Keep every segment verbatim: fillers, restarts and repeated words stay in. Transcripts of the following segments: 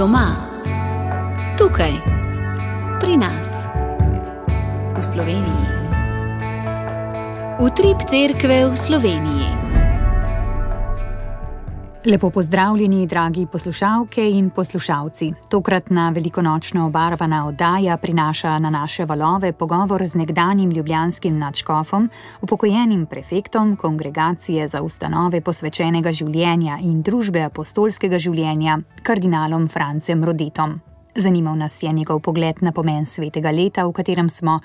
Doma, tukaj, pri nas, v Sloveniji. Utrip cerkve v Sloveniji. Lepo pozdravljeni, dragi poslušalke in poslušalci. Tokratna velikonočno obarvana oddaja prinaša na naše valove pogovor z nekdanjim ljubljanskim nadškofom, upokojenim prefektom Kongregacije za ustanove posvečenega življenja in družbe apostolskega življenja, kardinalom Francem Rodetom. Zanimal nas je njegov pogled na pomen svetega leta, v katerem smo,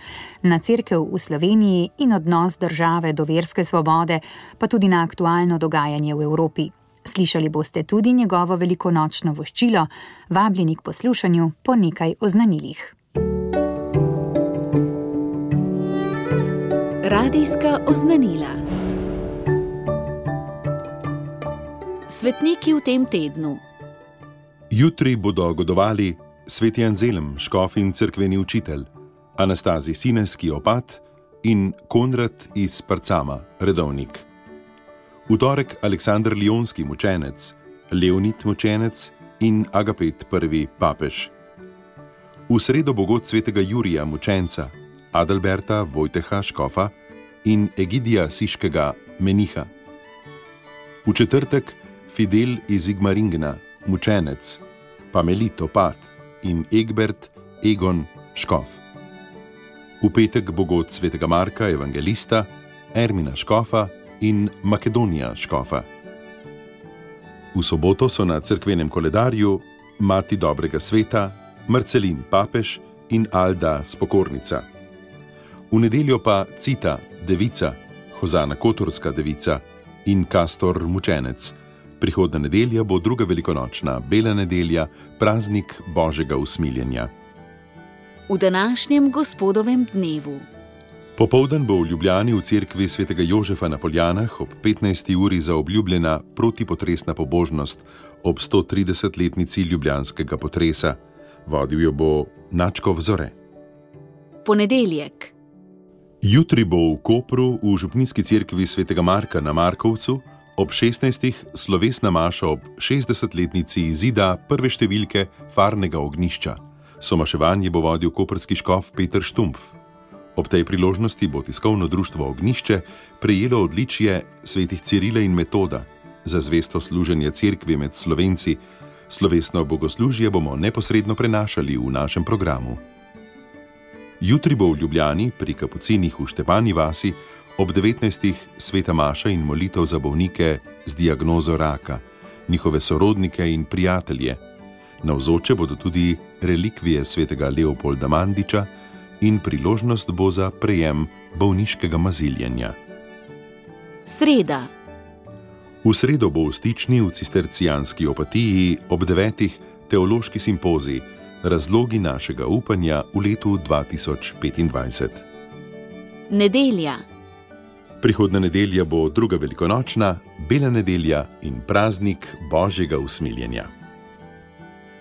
na cerkev v Sloveniji in odnos države do verske svobode, pa tudi na aktualno dogajanje v Evropi. Slišali boste tudi njegovo velikonočno voščilo, vabljeni k poslušanju po nekaj oznanilih. Radijska oznanila. Svetniki v tem tednu. Jutri bodo godovali sveti Anzelm, škof in cerkveni učitelj, Anastazij Sineski, opat, in Konrad iz Parcama, redovnik. V torek Aleksander Lionski, mučenec, Leonid, mučenec in Agapet prvi, papež. V sredo bo god svetega Jurija, mučenca, Adalberta Vojteha, škofa in Egidija Siškega, meniha. V četrtek Fidel iz Igmaringena, mučenec, Pamelit, opat in Egbert Egon, škof. V petek bo god svetega Marka, evangelista, Ermina, škofa in Makedonija, škofa. V soboto so na cerkvenem koledarju Mati dobrega sveta, Marcelin, papež in Alda, spokornica. V nedeljo pa Cita, devica, Hozana, kotorska devica in Kastor, mučenec. Prihodna nedelja bo druga velikonočna, bela nedelja, praznik Božjega usmiljenja. V današnjem gospodovem dnevu. Popoldan bo v Ljubljani v cerkvi svetega Jožefa na Poljanah ob petnajsti uri zaobljubljena protipotresna pobožnost ob sto tridesetletnici ljubljanskega potresa. Vodil jo bo nadškof Zore. Ponedeljek. Jutri bo v Kopru v župnijski cerkvi svetega Marka na Markovcu ob šestnajstih slovesna maša ob šestdesetletnici izida prve številke Farnega ognjišča. Somaševanje bo vodil koprski škof Peter Štumpf. Ob tej priložnosti bo tiskovno društvo Ognjišče prejelo odličje svetih Cirila in Metoda za zvesto služenje cerkvi med Slovenci. Slovesno bogoslužje bomo neposredno prenašali v našem programu. Jutri bo v Ljubljani pri kapucinih v Štepani vasi ob devetnajstih sveta maša in molitev za bolnike z diagnozo raka, njihove sorodnike in prijatelje. Navzoče bodo tudi relikvije svetega Leopolda Mandiča in priložnost bo za prejem bolniškega maziljenja. Sreda. V sredo bo v Stični v cistercijanski opatiji ob devetih teološki simpozij Razlogi našega upanja v letu dva tisoč petindvajset. Nedelja. Prihodna nedelja bo druga velikonočna, bela nedelja in praznik Božjega usmiljenja.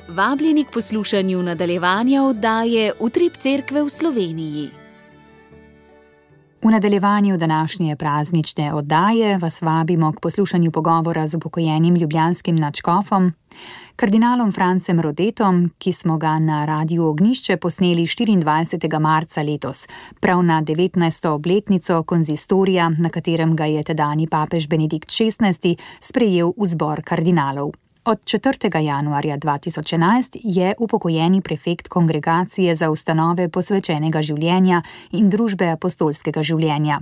Vabljeni k poslušanju nadaljevanja oddaje Utrip cerkve v Sloveniji. V nadaljevanju današnje praznične oddaje vas vabimo k poslušanju pogovora z upokojenim ljubljanskim nadškofom, kardinalom Francem Rodetom, ki smo ga na Radiu Ognjišče posneli štiriindvajsetega marca letos, prav na devetnajsto obletnico konzistorija, na katerem ga je tedanji papež Benedikt šestnajsti sprejel v zbor kardinalov. Od četrtega januarja dva tisoč enajst je upokojeni prefekt Kongregacije za ustanove posvečenega življenja in družbe apostolskega življenja.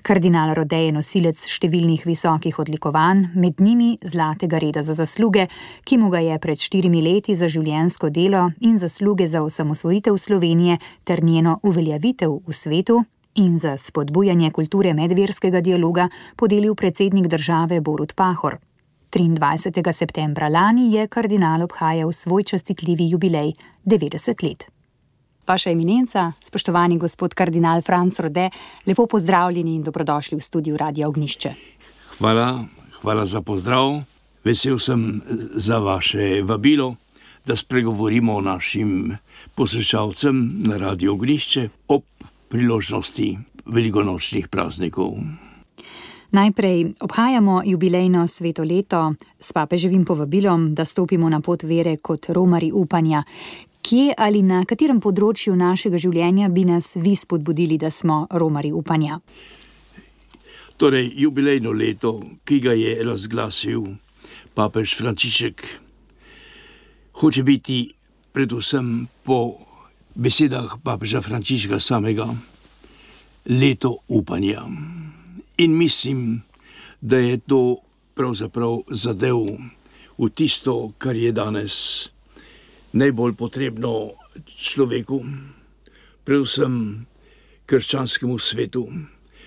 Kardinal Rode je nosilec številnih visokih odlikovanj, med njimi Zlatega reda za zasluge, ki mu ga je pred štirimi leti za življenjsko delo in zasluge za osamosvojitev Slovenije ter njeno uveljavitev v svetu in za spodbujanje kulture medverskega dialoga podelil predsednik države Borut Pahor. triindvajsetega septembra lani je kardinal obhajal svoj častitljivi jubilej, devetdeset let. Vaša eminenca, spoštovani gospod kardinal Franc Rode, lepo pozdravljeni in dobrodošli v studiu Radia Ognjišče. Hvala, hvala za pozdrav. Vesel sem za vaše vabilo, da spregovorimo o našim poslušalcem na Radiu Ognjišče ob priložnosti velikonočnih praznikov. Najprej obhajamo jubilejno sveto leto s papeževim povabilom, da stopimo na pot vere kot romarji upanja. Kje ali na katerem področju našega življenja bi nas vi spodbudili, da smo romarji upanja? Torej, jubilejno leto, ki ga je razglasil papež Frančišek, hoče biti predvsem po besedah papeža Frančiška samega leto upanja. In mislim, da je to pravzaprav zadev v tisto, kar je danes najbolj potrebno človeku, predvsem krščanskemu svetu,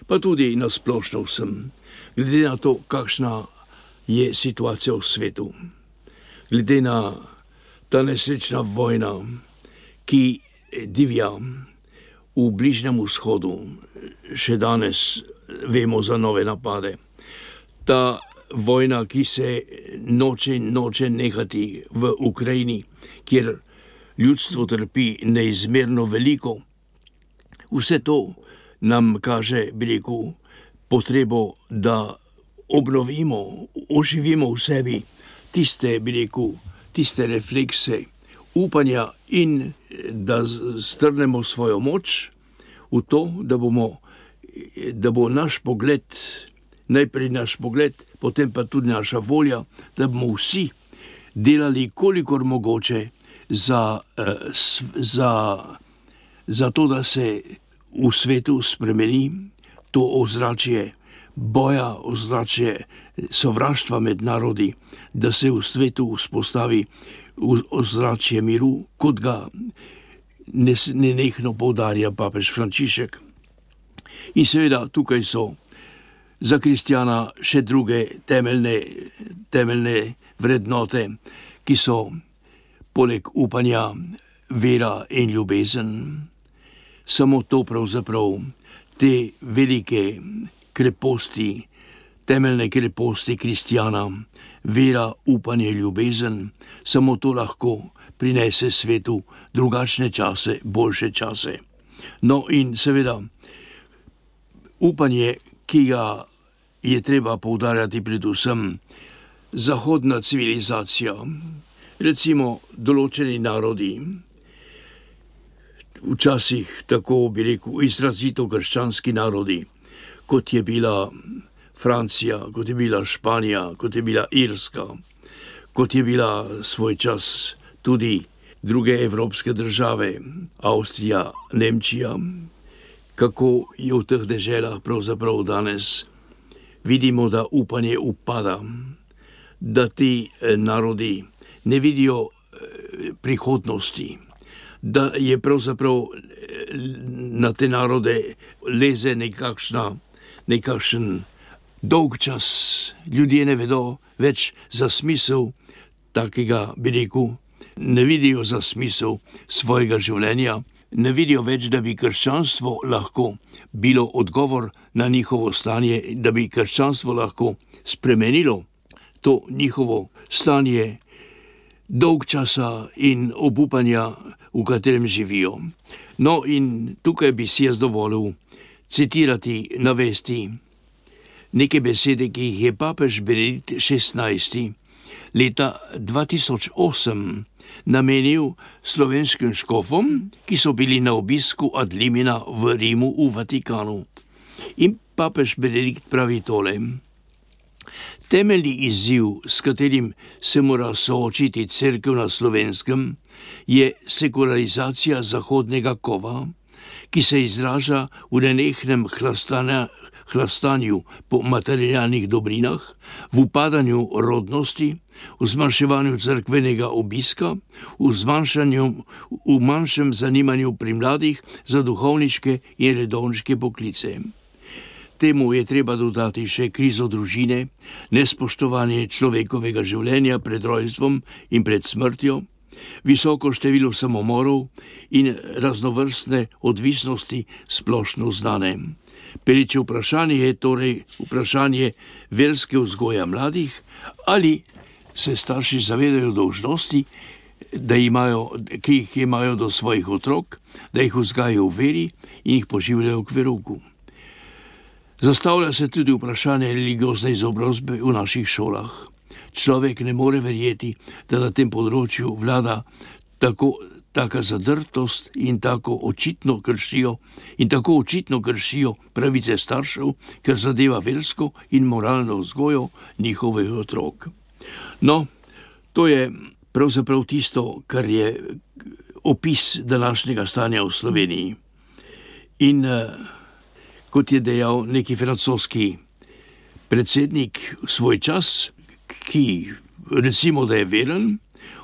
pa tudi na splošno vsem, glede na to, kakšna je situacija v svetu, glede na ta nesrečna vojna, ki divja v Bližnjem vzhodu, še danes vemo za nove napade. Ta vojna, ki se noče in noče nehati v Ukrajini, kjer ljudstvo trpi neizmerno veliko. Vse to nam kaže, bi rekel, potrebo, da obnovimo, oživimo v sebi tiste, bi rekel, tiste reflekse upanja in da strnemo svojo moč v to, da bomo, da bo naš pogled, najprej naš pogled, potem pa tudi naša volja, da bomo vsi delali kolikor mogoče za, za, za to, da se v svetu spremeni to ozračje boja, ozračje sovraštva med narodi, da se v svetu vzpostavi ozračje miru, kot ga nenehno poudarja papež Frančišek. In seveda tukaj so za kristjana še druge temeljne, temeljne vrednote, ki so poleg upanja vera in ljubezen. Samo to pravzaprav te velike kreposti, temeljne kreposti kristjana, vera, upanje, ljubezen, samo to lahko prinese svetu drugačne čase, boljše čase. No in seveda upanje, ki ga je treba poudarjati predvsem zahodna civilizacija, recimo določeni narodi, včasih tako bi rekel izrazito krščanski narodi, kot je bila Francija, kot je bila Španija, kot je bila Irska, kot je bila svoj čas tudi druge evropske države, Avstrija, Nemčija, kako je v teh deželah pravzaprav danes vidimo, da upanje upada, da ti narodi ne vidijo prihodnosti, da je pravzaprav na te narode leze nekakšna, nekakšen dolg čas. Ljudje ne vedo več za smisel takega, bi rekel, ne vidijo za smisel svojega življenja, ne vidijo več, da bi krščanstvo lahko bilo odgovor na njihovo stanje, da bi krščanstvo lahko spremenilo to njihovo stanje dolg časa in obupanja, v katerem živijo. No in tukaj bi si jaz dovolil citirati, navesti neke besede, ki jih je papež Benedikt šestnajsti leta dva tisoč osem namenil slovenskim škofom, ki so bili na obisku ad limina v Rimu v Vatikanu. In papež Benedikt pravi tole: temeljni izziv, s katerim se mora soočiti cerkev na Slovenskem, je sekularizacija zahodnega kova, ki se izraža v nenehnem hlastanja, hlastanju po materialnih dobrinah, v upadanju rodnosti, v zmanjševanju cerkvenega obiska, v, zmanjšanju, v manjšem zanimanju pri mladih za duhovniške in redovniške poklice. Temu je treba dodati še krizo družine, nespoštovanje človekovega življenja pred rojstvom in pred smrtjo, visoko število samomorov in raznovrstne odvisnosti splošno znane. Pereče vprašanje je torej vprašanje verske vzgoje mladih, ali se starši zavedajo dolžnosti, da imajo, ki jih imajo do svojih otrok, da jih vzgajajo v veri in jih poživljajo k verouku. Zastavlja se tudi vprašanje religiozne izobrazbe v naših šolah. Človek ne more verjeti, da na tem področju vlada tako taka zadrtost in tako očitno kršijo in tako očitno kršijo pravice staršev, ker zadeva versko in moralno vzgojo njihovih otrok. No, to je pravzaprav tisto, kar je opis današnjega stanja v Sloveniji. In kot je dejal neki francoski predsednik v svoj čas, ki recimo, da je veren,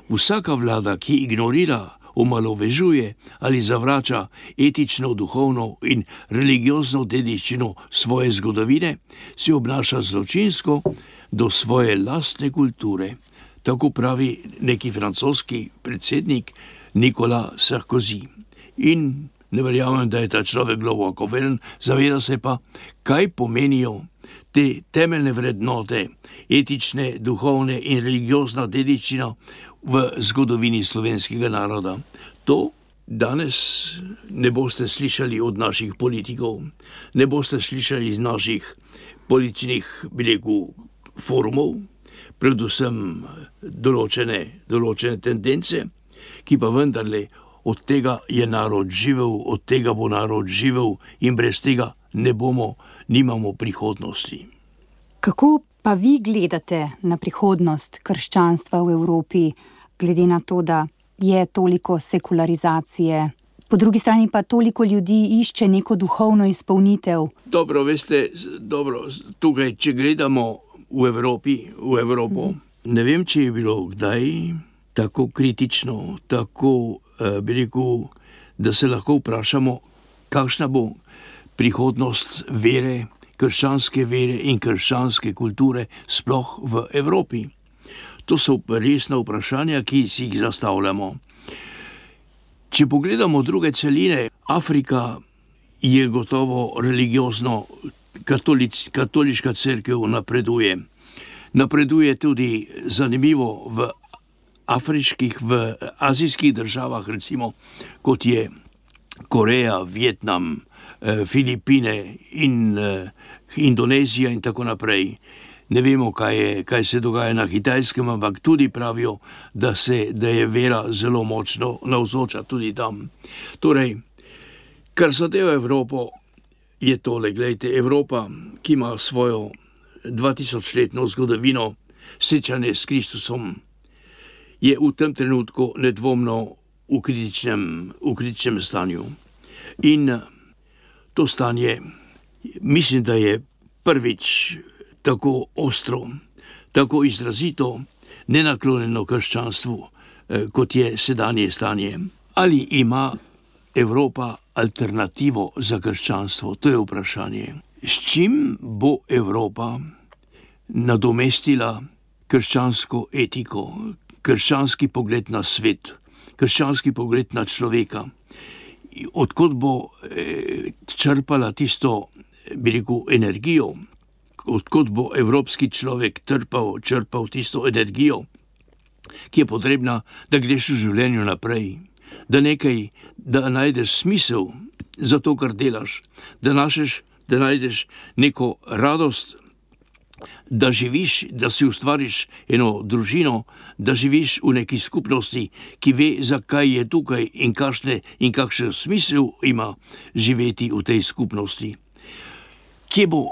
vsaka vlada, ki ignorira, omalovažuje ali zavrača etično, duhovno in religiozno dediščino svoje zgodovine, se obnaša zločinsko do svoje lastne kulture. Tako pravi neki francoski predsednik Nicolas Sarkozy. In ne verjamem, da je ta človek globoko veren, zaveda se pa, kaj pomenijo te temeljne vrednote, etične, duhovne in religiozna dediščina v zgodovini slovenskega naroda. To danes ne boste slišali od naših politikov, ne boste slišali iz naših političnih, bi rekel, forumov, predvsem določene, določene tendence, ki pa vendarle od tega je narod živel, od tega bo narod živel in brez tega ne bomo, nimamo prihodnosti. Kako pa vi gledate na prihodnost krščanstva v Evropi, glede na to, da je toliko sekularizacije, po drugi strani pa toliko ljudi išče neko duhovno izpolnitev? Dobro, veste, dobro, tukaj, če gledamo v Evropi, v Evropo, mm. ne vem, če je bilo kdaj tako kritično, tako, eh, bi rekel, da se lahko vprašamo, kakšna bo prihodnost vere, krščanske vere in krščanske kulture sploh v Evropi. To so resna vprašanja, ki si jih zastavljamo. Če pogledamo druge celine, Afrika je gotovo religiozno, katolic, katoliška cerkev napreduje. Napreduje tudi zanimivo v afriških, v azijskih državah, recimo kot je Koreja, Vietnam, Filipine in Indonezija in tako naprej. Ne vemo, kaj, je, kaj se dogaja na Kitajskem, ampak tudi pravijo, da, se, da je vera zelo močno navzoča tudi tam. Torej, kar zadeva Evropo, je tole, gledajte, Evropa, ki ima svojo dvatisočletno zgodovino srečanje s Kristusom, je v tem trenutku nedvomno v kritičnem, v kritičnem stanju. In to stanje, mislim, da je prvič tako ostro, tako izrazito nenaklonjeno krščanstvu, kot je sedanje stanje. Ali ima Evropa alternativo za krščanstvo? To je vprašanje. S čim bo Evropa nadomestila krščansko etiko, krščanski pogled na svet, krščanski pogled na človeka? Odkot bo eh, črpala tisto, bi rekel, energijo, odkot bo evropski človek trpal, črpal tisto energijo, ki je potrebna, da greš v življenju naprej, da nekaj, da najdeš smisel za to, kar delaš, da, našeš, da najdeš neko radost, da živiš, da si ustvariš eno družino, da živiš v neki skupnosti, ki ve, zakaj je tukaj in kakšne in kakšen smisel ima živeti v tej skupnosti. Kje bo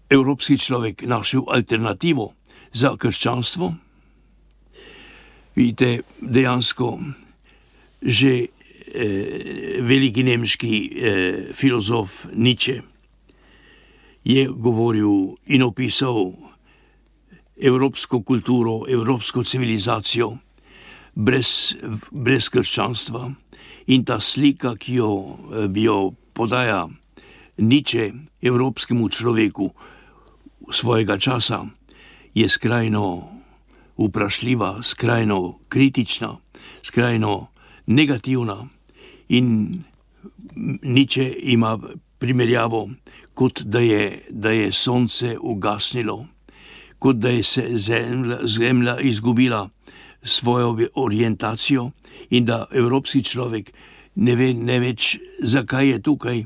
evropski človek našel alternativo za krščanstvo? Vidite, dejansko že eh, veliki nemški eh, filozof Nietzsche je govoril in opisal evropsko kulturo, evropsko civilizacijo brez, brez krščanstva. In ta slika, ki jo, bi jo podaja Nietzsche evropskemu človeku svojega časa, je skrajno vprašljiva, skrajno kritična, skrajno negativna. In Nietzsche ima primerjavo, kot da je, da je sonce ugasnilo, kot da je se zemlja, zemlja izgubila svojo orientacijo in da evropski človek ne ve ne več, zakaj je tukaj,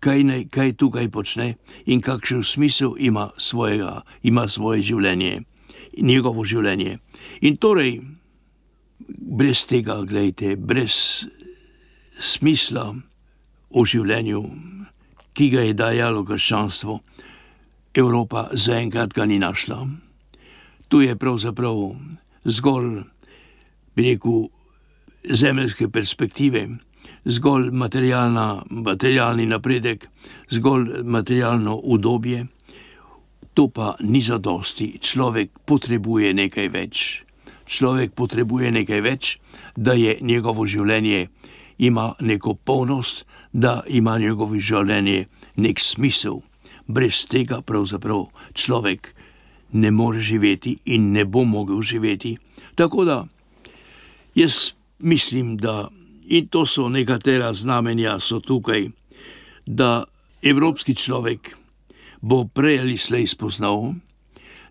kaj, ne, kaj tukaj počne in kakšen smisel ima, svojega, ima svoje življenje, njegovo življenje. In torej, brez tega, gledajte, brez smisla o življenju, ki ga je dajalo krščanstvo, Evropa zaenkrat ga ni našla. Tu je pravzaprav zgolj, bi rekel, zemeljske perspektive, zgolj materialni napredek, zgolj materialno udobje. To pa ni zadosti. Človek potrebuje nekaj več. Človek potrebuje nekaj več, da je njegovo življenje ima neko polnost, da ima njegovo življenje nek smisel. Brez tega pravzaprav človek ne more živeti in ne bo mogel živeti. Tako da jaz mislim, da, in to so nekatera znamenja so tukaj, da evropski človek bo prej ali slej spoznal,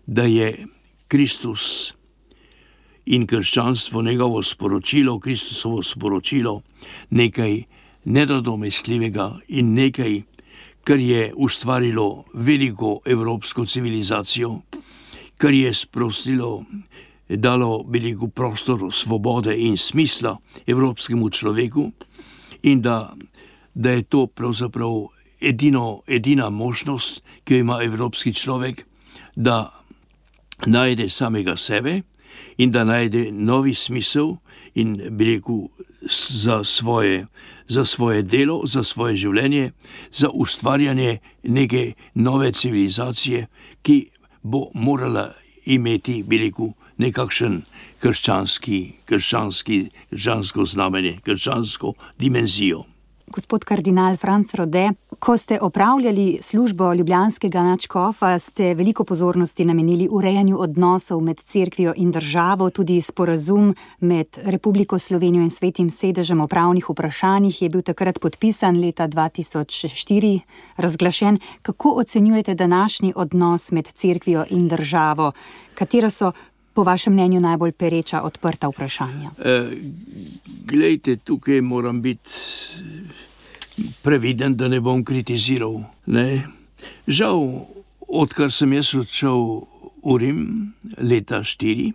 da je Kristus in krščanstvo, njegovo sporočilo, Kristusovo sporočilo, nekaj nenadomestljivega in nekaj, kar je ustvarilo veliko evropsko civilizacijo, kar je sprostilo, dalo veliko prostoru svobode in smisla evropskemu človeku in da, da je to pravzaprav edino, edina možnost, ki jo ima evropski človek, da najde samega sebe in da najde novi smisel in bi rekel za svoje, za svoje delo, za svoje življenje, za ustvarjanje neke nove civilizacije, ki bo morala imeti, bi rekel, nekakšen krščanski, krščanski, krščansko znamenje, krščansko dimenzijo. Gospod kardinal Franc Rode, ko ste opravljali službo ljubljanskega nadškofa, ste veliko pozornosti namenili urejanju odnosov med cerkvijo in državo, tudi sporazum med Republiko Slovenijo in Svetim sedežem o pravnih vprašanjih je bil takrat podpisan leta dva tisoč štiri, razglašen. Kako ocenjujete današnji odnos med cerkvijo in državo? Katera so po vašem mnenju najbolj pereča odprta vprašanja? E, glejte, tukaj moram biti previden, da ne bom kritiziral. Ne? Žal, odkar sem jaz odšel v Rim leta štiri,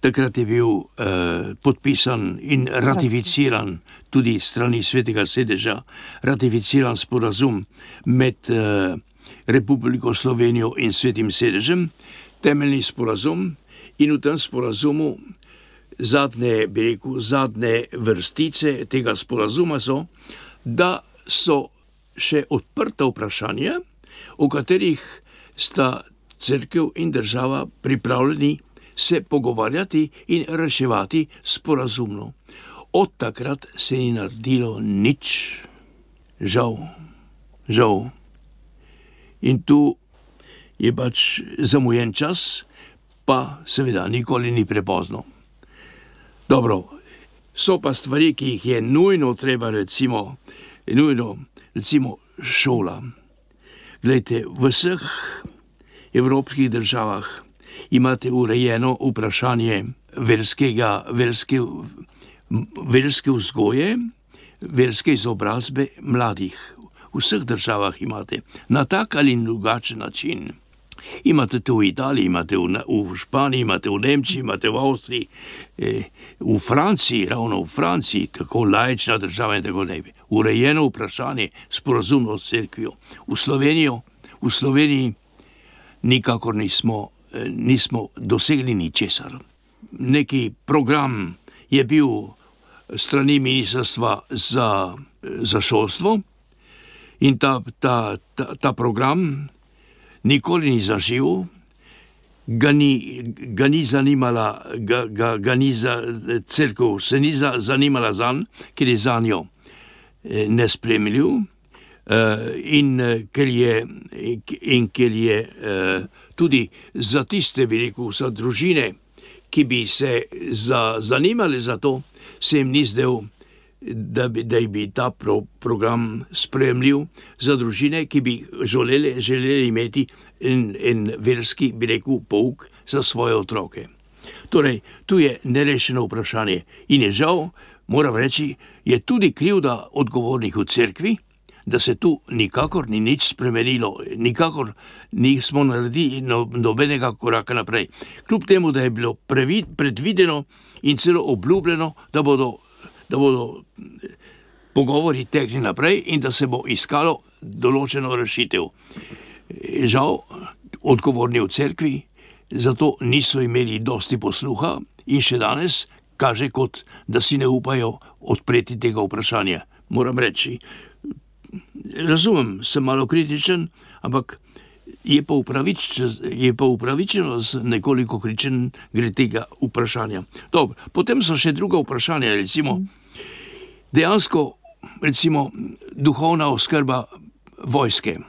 takrat je bil eh, podpisan in ratificiran tudi strani Svetega sedeža, ratificiran sporazum med eh, Republiko Slovenijo in Svetim sedežem, temeljni sporazum, in v tem sporazumu zadnje, bi rekel, zadnje vrstice tega sporazuma so, da so še odprta vprašanja, o katerih sta cerkev in država pripravljeni se pogovarjati in reševati sporazumno. Od takrat se ni naredilo nič. Žal, žal. In tu je pač zamujen čas, pa seveda nikoli ni prepozno. Dobro, so pa stvari, ki jih je nujno treba, recimo, nujno, recimo šola. Glejte, v vseh evropskih državah imate urejeno vprašanje verskega, verske, verske vzgoje, verske izobrazbe mladih. V vseh državah imate na tak ali drugačen način. Imate to v Italiji, imate v, v Španiji, imate v Nemčiji, imate v Avstriji, eh, v Franciji, ravno v Franciji, tako laična država in tako naprej. Urejeno vprašanje, sporazumno s cerkvijo. V Slovenijo, v Sloveniji nikakor nismo, eh, nismo dosegli ničesar. Neki program je bil strani ministrstva za, za šolstvo in ta, ta, ta, ta program nikoli ni zaživel, ga ni, ga ni zanimala, ga, ga, ga ni za cerkev, se ni za, zanimala zanj, ker je za njo nespremljiv in ker je, in ker je tudi za tiste, bi rekel, za družine, ki bi se za, zanimali za to, se jim ni zdel, da bi, da bi ta pro, program spremljiv za družine, ki bi želeli, želeli imeti en, en verski, bi rekel, pouk za svoje otroke. Torej, tu je nerešeno vprašanje in je žal, moram reči, je tudi krivda odgovornih v cerkvi, da se tu nikakor ni nič spremenilo, nikakor nismo naredili no, nobenega koraka naprej. Kljub temu, da je bilo previd, predvideno in celo obljubljeno, da bodo, da bodo pogovori tekli naprej in da se bo iskalo določeno rešitev. Žal, odgovorni v cerkvi zato niso imeli dosti posluha in še danes kaže kot, da si ne upajo odpreti tega vprašanja. Moram reči, razumem, sem malo kritičen, ampak je pa, upravič, je pa upravičeno z nekoliko kričen gre tega vprašanja. Dobro, potem so še druga vprašanja, recimo, dejansko, recimo, duhovna oskrba vojske.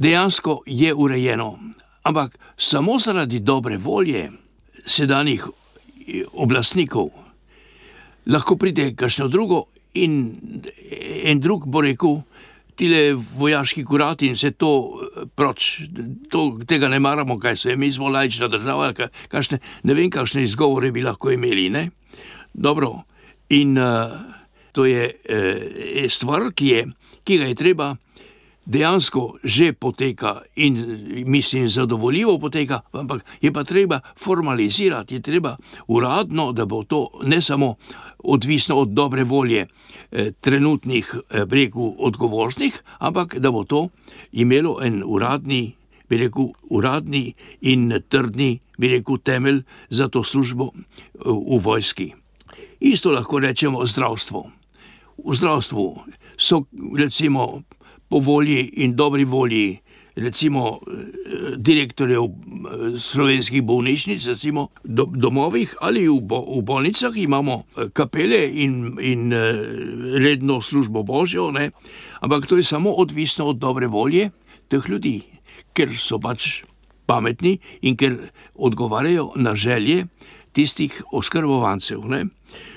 Dejansko je urejeno, ampak samo zaradi dobre volje sedanjih oblastnikov lahko pride kakšno drugo in en drug bo rekel, tile vojaški kurati in vse to proč, to, tega ne maramo, kaj se je, mi smo laična država, kakšne, ne vem, kakšne izgovore bi lahko imeli, ne? Dobro, in uh, to je uh, stvar, ki, je, ki ga je treba dejansko že poteka in mislim zadovoljivo poteka, ampak je pa treba formalizirati, je treba uradno, da bo to ne samo odvisno od dobre volje eh, trenutnih eh, breku odgovornih, ampak da bo to imelo en uradni, bi rekel, uradni in trdni, bi rekel, temelj za to službo v, v vojski. Isto lahko rečemo zdravstvo. V zdravstvu so recimo po volji in dobri volji, recimo direktorjev slovenskih bolnišnic, recimo do, domovih ali v, bo, v bolnicah imamo kapele in, in redno službo Božjo, ne? Ampak to je samo odvisno od dobre volje teh ljudi, ker so pač pametni in ker odgovarjajo na želje tistih oskrbovancev, ne?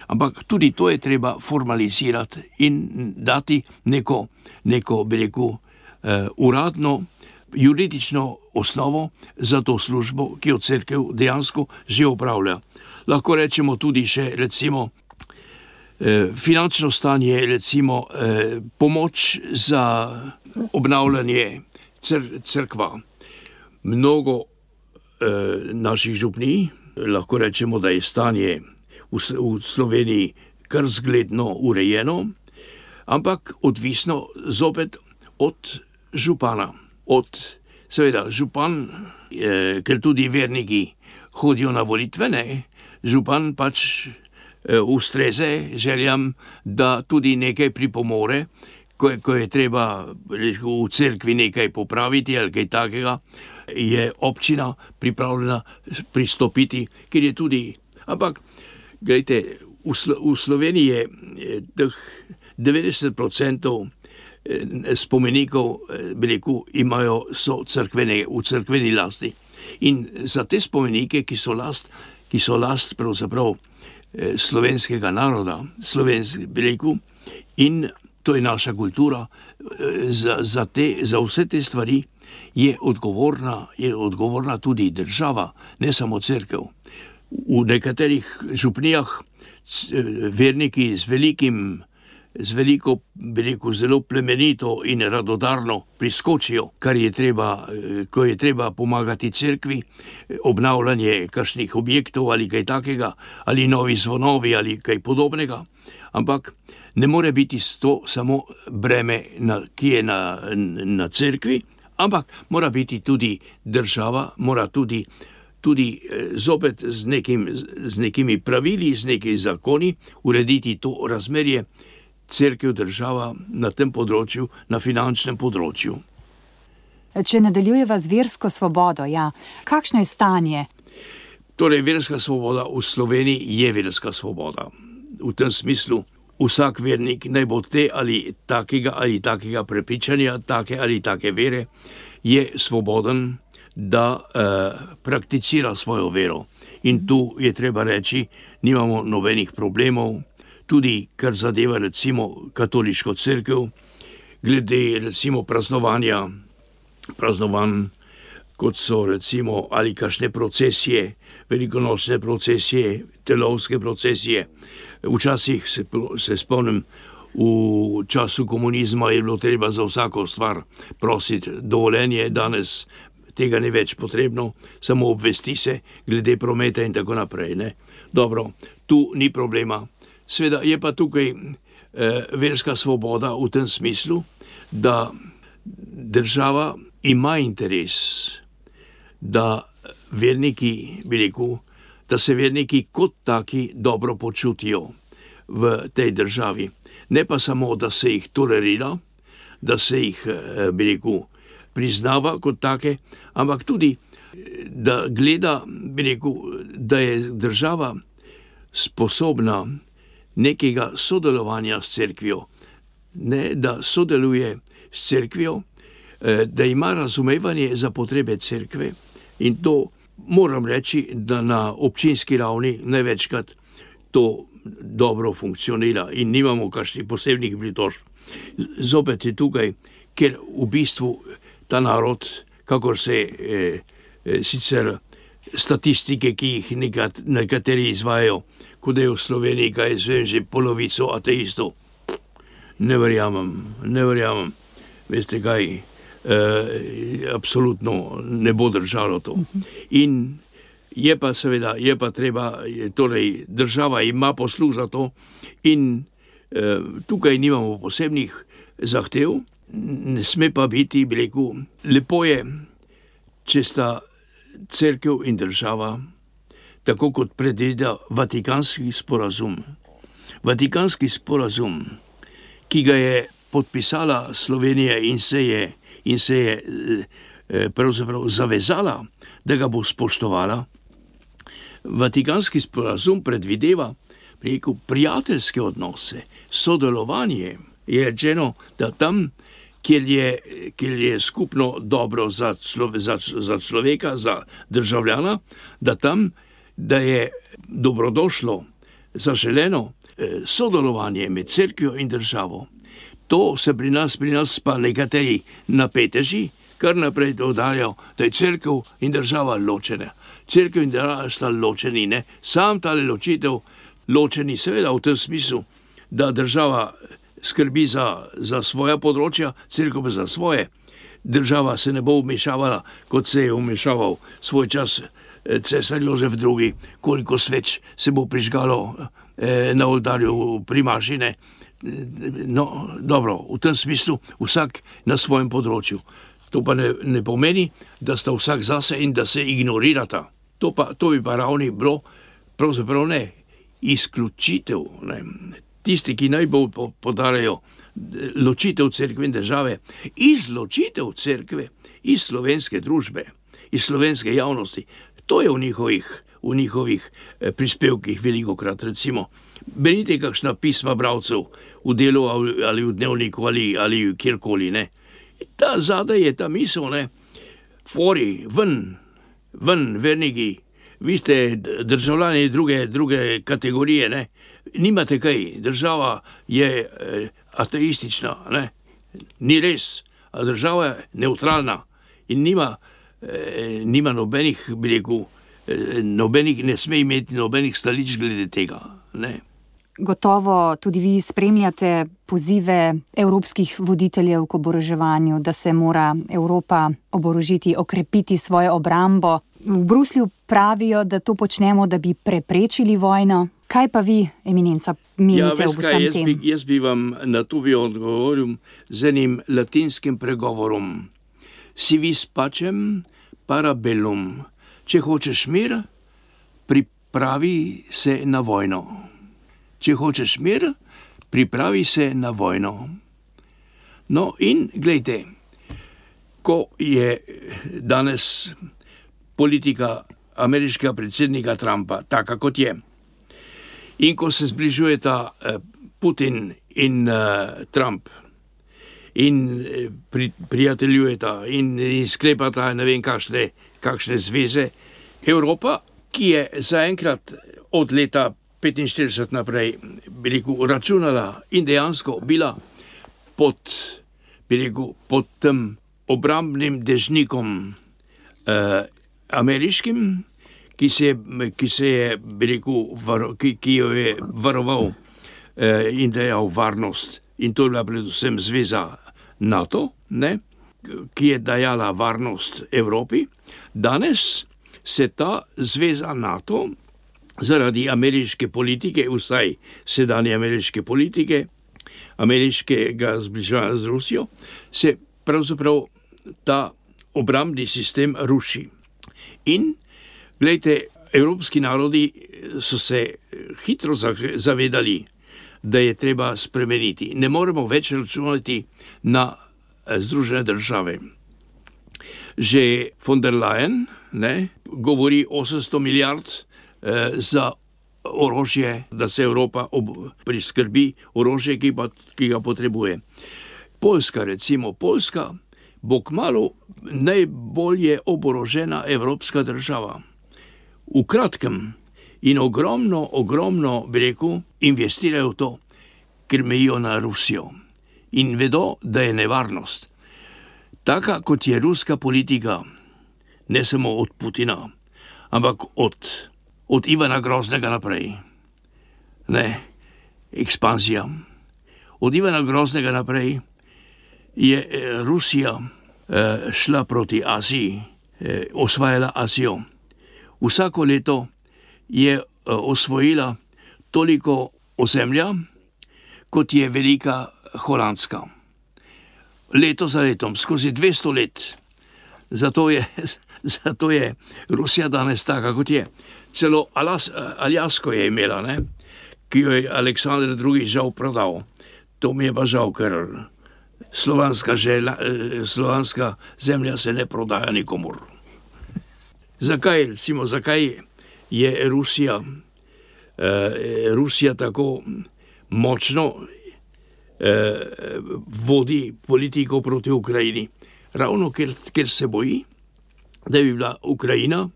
Ampak tudi to je treba formalizirati in dati neko, neko bi rekel, uh, uradno, juridično osnovo za to službo, ki jo cerkev dejansko že opravlja. Lahko rečemo tudi še, recimo, uh, finančno stanje, recimo, uh, pomoč za obnavljanje cr- crkva. Mnogo uh, naših župnij, lahko rečemo, da je stanje v Sloveniji kar zgledno urejeno, ampak odvisno zopet od župana. Od, seveda, župan, eh, ker tudi verniki hodijo na volitve, ne, župan pač eh, ustreze željam, da tudi nekaj pripomore, ko, ko je treba v cerkvi nekaj popraviti ali kaj takega, je občina pripravljena pristopiti, ker je tudi, ampak glejte, v, Slo- v Sloveniji je teh devetdeset procentov spomenikov, bi rekel, imajo, so cerkvene, v cerkveni lasti. In za te spomenike, ki so last, ki so last pravzaprav slovenskega naroda, slovenski, bi rekel, in to je naša kultura, za, za, te, za vse te stvari je odgovorna, je odgovorna tudi država, ne samo cerkev. V nekaterih župnijah verniki z velikim, z veliko, bi rekel, zelo plemenito in radodarno priskočijo, kar je treba, ko je treba pomagati cerkvi, obnavljanje kakšnih objektov ali kaj takega, ali novi zvonovi ali kaj podobnega, ampak ne more biti to samo breme, na, ki je na, na cerkvi, ampak mora biti tudi država, mora tudi tudi zopet z, nekim, z nekimi pravili, z nekimi zakoni urediti to razmerje cerkev država na tem področju, na finančnem področju. Če nadaljujeva z versko svobodo, ja, kakšno je stanje? Torej, verska svoboda v Sloveniji je verska svoboda. V tem smislu vsak vernik, naj bo te ali takega ali takega prepričanja, take ali take vere, je svoboden, da eh, prakticira svojo vero. In tu je treba reči, nimamo nobenih problemov, tudi kar zadeva recimo katoliško cerkev, glede recimo praznovanja, praznovanj, kot so recimo ali kakšne procesije, velikonočne procesije, telovske procesije. Včasih se, se spomnim v času komunizma je bilo treba za vsako stvar prositi dovoljenje, danes tega ni več potrebno, samo obvesti se glede prometa in tako naprej. Ne? Dobro, tu ni problema. Sveda je pa tukaj eh, verska svoboda v tem smislu, da država ima interes, da verniki, bi rekel, da se verniki kot taki dobro počutijo v tej državi. Ne pa samo, da se jih tolerira, da se jih, eh, bi rekel, priznava kot take, ampak tudi, da gleda, bi rekel, da je država sposobna nekega sodelovanja s cerkvijo, ne, da sodeluje s cerkvijo, da ima razumevanje za potrebe cerkve in to moram reči, da na občinski ravni največkrat to dobro funkcionira in nimamo kakšnih posebnih pritožb. Zopet je tukaj, ker v bistvu ta narod, kakor se eh, sicer statistike, ki jih nekat, nekateri izvajajo, kot je v Sloveniji, kaj zvem, že polovico ateistov. Ne verjamem, ne verjamem. Veste kaj, eh, absolutno ne bo držalo to. In je pa seveda, je pa treba, torej država ima posluh za to in eh, tukaj nimamo posebnih zahtev, ne sme pa biti, bi rekel, lepo je, če sta cerkev in država, tako kot predvideva Vatikanski sporazum. Vatikanski sporazum, ki ga je podpisala Slovenija in se je, in se je eh, pravzaprav zavezala, da ga bo spoštovala. Vatikanski sporazum predvideva, bi rekel, prijateljske odnose, sodelovanje. Je rečeno, da tam, kjer je, kjer je skupno dobro za, člove, za, za človeka, za državljana, da tam, da je dobrodošlo, zaželeno eh, sodelovanje med cerkvijo in državo. To se pri nas, pri nas pa nekateri napeteži, kar naprej dodajajo, da je cerkev in država ločena. Cerkev in država sta ločeni, ne? Sam tale ločitev, ločeni seveda v tem smislu, da država skrbi za, za svoja področja, cerkev pa za svoje. Država se ne bo vmešavala, kot se je vmešaval svoj čas cesar Jozef drugi, koliko sveč se bo prižgalo eh, na oltarju primažine. No, dobro, v tem smislu vsak na svojem področju. To pa ne, ne pomeni, da sta vsak zase in da se ignorirata. To, pa, to bi pa ravni bilo, pravzaprav ne, izključitev. Ne. Tisti, ki najbolj podarjajo ločitev cerkve in države, izločitev cerkve iz slovenske družbe, iz slovenske javnosti, to je v njihovih, v njihovih prispevkih velikokrat, recimo. Berite kakšna pisma bralcev v Delu ali v Dnevniku ali, ali kjerkoli, ne. Ta zadaj je ta misel, ne. Fori, ven, ven, verniki, vi ste državljani druge, druge kategorije, ne. Nimate kaj, država je eh, ateistična, ne. Ni res, a država je neutralna in nima, eh, nima nobenih, bi rekel, eh, nobenih, ne sme imeti nobenih stališč glede tega, ne. Gotovo tudi vi spremljate pozive evropskih voditeljev k oboroževanju, da se mora Evropa oborožiti, okrepiti svojo obrambo. V Bruslju pravijo, da to počnemo, da bi preprečili vojno. Kaj pa vi, eminenca, menite ja, v vsem jaz tem? Bi, jaz bi vam na to bi odgovoril z enim latinskim pregovorom. Si vis pacem para bellum. Če hočeš mir, pripravi se na vojno. Če hočeš mir, pripravi se na vojno. No in glejte, ko je danes politika ameriškega predsednika Trumpa taka, kot je, in ko se zbližujeta Putin in Trump in pri, prijateljujeta in, in sklepata ne vem kakšne, kakšne zveze, Evropa, ki je zaenkrat od leta petinštirideset naprej, bi rekel, računala in dejansko bila pod, bi rekel, pod tem obrambnim dežnikom eh, ameriškim, ki se je, ki se je, bi rekel, var, ki, ki jo je varoval eh, in dejal varnost. In to je bila predvsem zveza NATO, ne, ki je dajala varnost Evropi. Danes se ta zveza NATO zaradi ameriške politike, vsaj sedanje ameriške politike, ameriškega zbliževanja z Rusijo, se pravzaprav ta obrambni sistem ruši. In, glejte, evropski narodi so se hitro zavedali, da je treba spremeniti. Ne moremo več računati na Združene države. Že von der Leyen, ne, govori osemsto milijard eh, za orožje, da se Evropa ob, priskrbi orožje, ki, pa, ki ga potrebuje. Poljska, recimo, Poljska bo kmalu najbolje oborožena evropska država. V kratkem in ogromno, ogromno, bi rekel, investirajo v to, ker mejijo na Rusijo in vedo, da je nevarnost. Taka, kot je ruska politika, ne samo od Putina, ampak od, od Ivana Groznega naprej. Ne, ekspanzija. Od Ivana Groznega naprej je Rusija eh, šla proti Aziji, eh, osvajala Azijo. Vsako leto je eh, osvojila toliko ozemlja, kot je velika Holandska. Leto za letom, skozi dvesto let. Zato je, zato je Rusija danes taka, kot je. Celo Alas, Aljasko je imela, ne? Ki jo je Aleksandar drugi. žal prodal. To mi je pa žal, ker slovanska, žela, slovanska zemlja se ne prodaja nikomur. Zakaj, recimo, zakaj je Rusija, eh, Rusija tako močno eh, vodi politiko proti Ukrajini? Ravno ker, ker se boji, da bi bila Ukrajina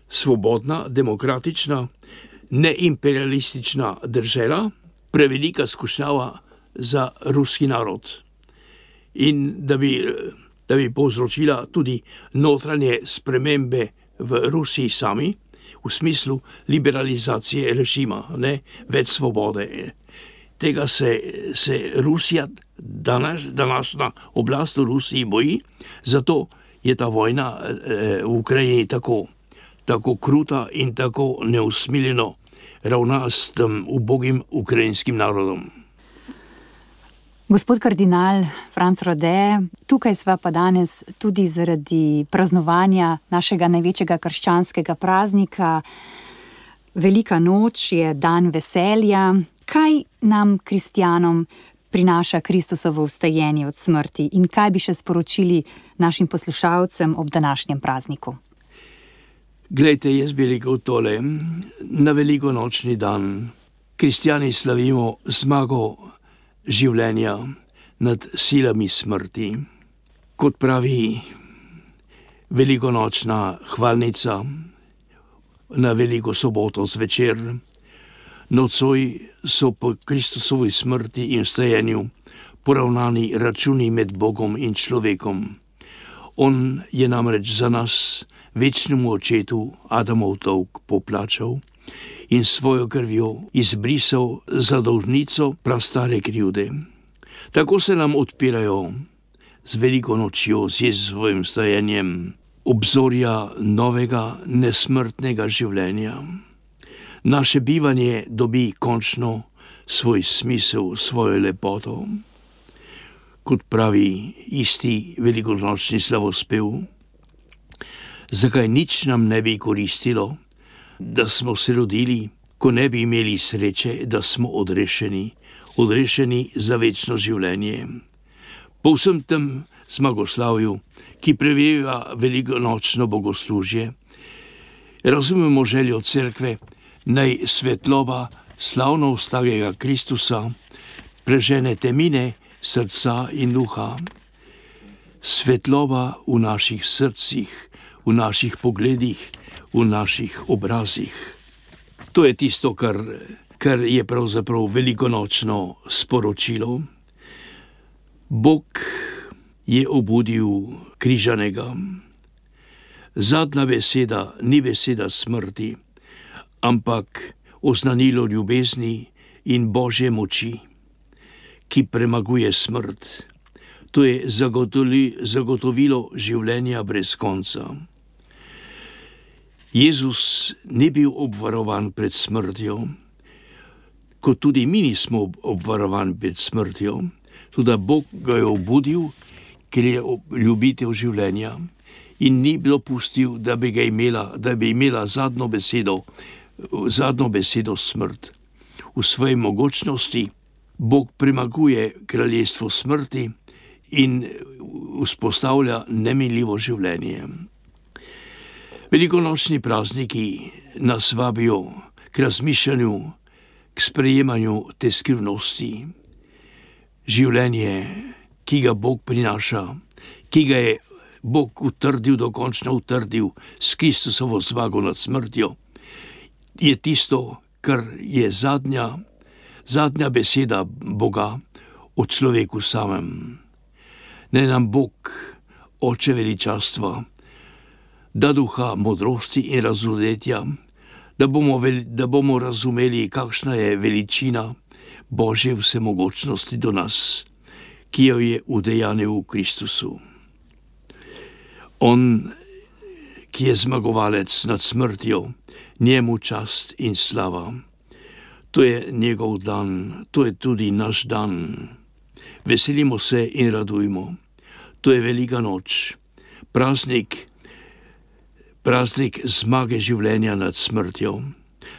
svobodna, demokratična, neimperialistična država, prevelika skušnjava za ruski narod. In da bi, da bi povzročila tudi notranje spremembe v Rusiji sami, v smislu liberalizacije režima, ne, več svobode. Tega se, se Rusija, danas, današnja oblast v Rusiji boji, zato je ta vojna eh, v Ukrajini tako, tako kruta in tako neusmiljeno ravna s tem ubogim ukrajinskim narodom. Gospod kardinal Franc Rode, tukaj sva pa danes tudi zaradi praznovanja našega največjega krščanskega praznika. Velika noč je dan veselja. Kaj nam, kristjanom, prinaša Kristusovo vstajenje od smrti in kaj bi še sporočili našim poslušalcem ob današnjem prazniku? Glejte, jaz bi rekel tole. Na velikonočni dan kristjani slavimo zmago življenja nad silami smrti. Kot pravi velikonočna hvalnica na veliko soboto zvečer, nocoj so po Kristusovi smrti in vstajenju poravnani računi med Bogom in človekom. On je namreč za nas, večnemu očetu, Adamov dolg poplačal in svojo krvjo izbrisal zadolžnico prastare krivde. Tako se nam odpirajo z veliko nočjo, z Jezusovim vstajenjem, obzorja novega nesmrtnega življenja. Naše bivanje dobi končno svoj smisel, svojo lepoto. Kot pravi isti velikonočni slavospev, zakaj nič nam ne bi koristilo, da smo se rodili, ko ne bi imeli sreče, da smo odrešeni, odrešeni za večno življenje. Po vsem tem zmagoslavju, ki preveva velikonočno bogoslužje, razumemo željo cerkve, naj svetloba slavno vstagega Kristusa prežene temine srca in duha. Svetloba v naših srcih, v naših pogledih, v naših obrazih. To je tisto, kar, kar je pravzaprav velikonočno sporočilo. Bog je obudil križanega. Zadnja beseda ni beseda smrti, ampak oznanilo ljubezni in Božje moči, ki premaguje smrt. To je zagotovilo življenja brez konca. Jezus ni bil obvarovan pred smrtjo, kot tudi mi nismo obvarovani pred smrtjo, tudi Bog ga je obudil, ker je ljubitelj življenja in ni bilo pustil, da bi ga imela, da bi imela zadnjo besedo, zadnjo besedo smrt. V svoji mogočnosti Bog premaguje kraljestvo smrti in vzpostavlja neminljivo življenje. Velikonočni prazniki nas vabijo k razmišljanju, k sprejemanju te skrivnosti. Življenje, ki ga Bog prinaša, ki ga je Bog utrdil, dokončno utrdil s Kristusovo zmago nad smrtjo, je tisto, kar je zadnja, zadnja beseda Boga o človeku samem. Naj nam Bog, Oče veličastva, da duha modrosti in razumevanja, da bomo, da bomo razumeli, kakšna je veličina Božje vsemogočnosti do nas, ki jo je udejanil v Kristusu. On, ki je zmagovalec nad smrtjo, njemu čast in slava. To je njegov dan, to je tudi naš dan. Veselimo se in radujmo. To je velika noč, praznik, praznik zmage življenja nad smrtjo.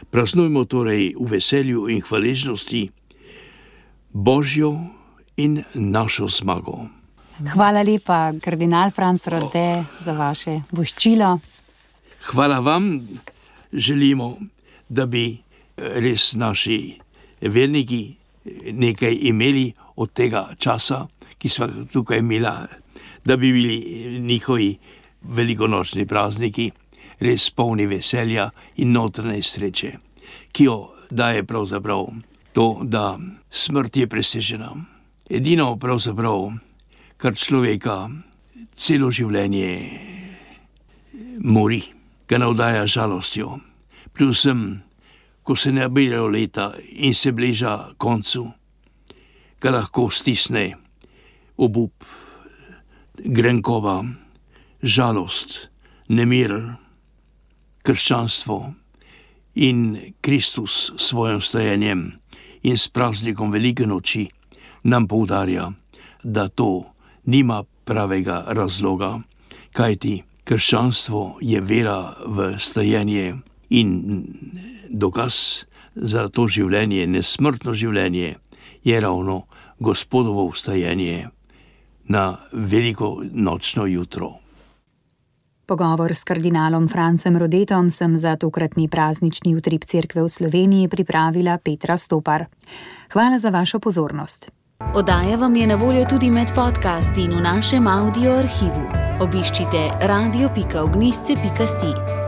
Praznujmo torej v veselju in hvaležnosti Božjo in našo zmago. Hvala lepa, kardinal Franc Rode, za vaše voščilo. Hvala vam, želimo, da bi res naši verniki nekaj imeli od tega časa, ki smo tukaj imeli, da bi bili njihovi velikonočni prazniki res polni veselja in notranje sreče, ki jo daje pravzaprav to, da smrt je presežena. Edino pravzaprav, kar človeka celo življenje mori, ga navdaja žalostjo, predvsem, ko se nabirajo leta in se bliža koncu, ga lahko stisne obup, grenkoba, žalost, nemir. Krščanstvo in Kristus s svojim stajenjem in s praznikom velike noči nam poudarja, da to nima pravega razloga, kajti krščanstvo je vera v stajenje in dokaz za to življenje, nesmrtno življenje, je ravno Gospodovo vstajenje na veliko nočno jutro. Pogovor s kardinalom Francem Rodetom sem za tokratni praznični utrip Cerkve v Sloveniji pripravila Petra Stopar. Hvala za vašo pozornost. Oddaja vam je na voljo tudi med podcasti in v našem audio arhivu. Obiščite radio pika ognjišče pika si.